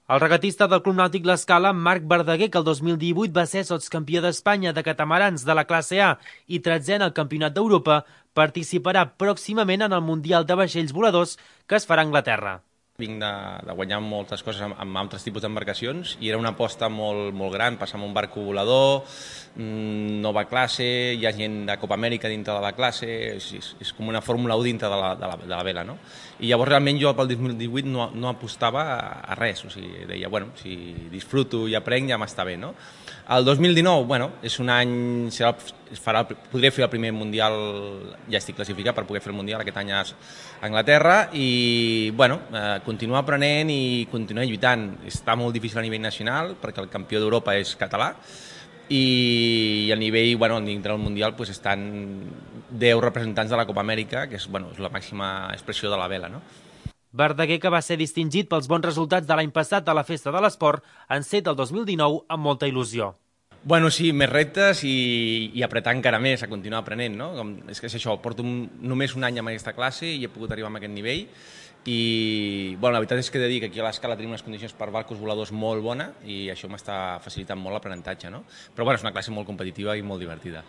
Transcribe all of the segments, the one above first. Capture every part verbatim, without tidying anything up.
El regatista del Club Nàutic L'Escala, Marc Verdaguer, que el dos mil divuit va ser sotscampió d'Espanya de catamarans de la classe A i tretzè en el Campionat d'Europa, participarà pròximament en el Mundial de Vaixells Voladors que es farà a Anglaterra. Vinc de, de guanyar moltes coses amb, amb altres tipus d'embarcacions i era una aposta molt, molt gran, passar amb un barco volador, mmm, nova classe, hi ha gent de Copa Amèrica dintre de la classe, és, és, és com una Fórmula u dintre de la, de la, de la vela, no? I llavors realment jo pel dos mil divuit no, no apostava a, a res, o sigui, deia, bueno, si disfruto i aprenc ja m'està bé, no? El dos mil dinou, bueno, és un any, serà, farà, podré fer el primer Mundial, ja estic classificat per poder fer el Mundial aquest any a Anglaterra i, bueno, eh, continuar aprenent i continuar lluitant. Està molt difícil a nivell nacional perquè el campió d'Europa és català i a nivell, bueno, dintre del Mundial pues, estan deu representants de la Copa Amèrica, que és, bueno, és la màxima expressió de la vela, no? Verdaguer, que va ser distingit pels bons resultats de l'any passat a la Festa de l'Esport, enceta el dos mil dinou amb molta il·lusió. Bueno, sí, més reptes i, i apretar encara més, a continuar aprenent, no? Com, és que és això, porto un, només un any amb aquesta classe i he pogut arribar a aquest nivell i, bueno, la veritat és que he de dir que aquí a l'Escala tenim unes condicions per barcos voladors molt bona i això m'està facilitant molt l'aprenentatge, no? Però, bueno, és una classe molt competitiva i molt divertida.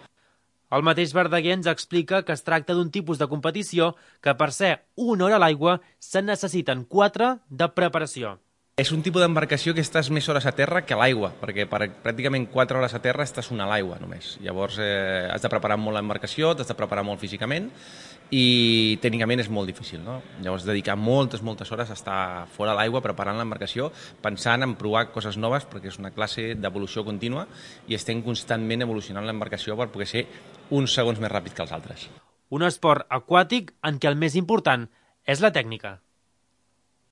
El mateix Verdaguer ens explica que es tracta d'un tipus de competició que per ser una hora a l'aigua se'n necessiten quatre de preparació. És un tipus d'embarcació que estàs més hores a terra que a l'aigua, perquè per pràcticament quatre hores a terra estàs una a l'aigua només. Llavors eh, has de preparar molt l'embarcació, t'has de preparar molt físicament i tècnicament és molt difícil, no? Llavors dedicar moltes, moltes hores a estar fora a l'aigua preparant l'embarcació, pensant en provar coses noves perquè és una classe d'evolució contínua i estem constantment evolucionant l'embarcació per poder ser uns segons més ràpid que els altres. Un esport aquàtic en què el més important és la tècnica.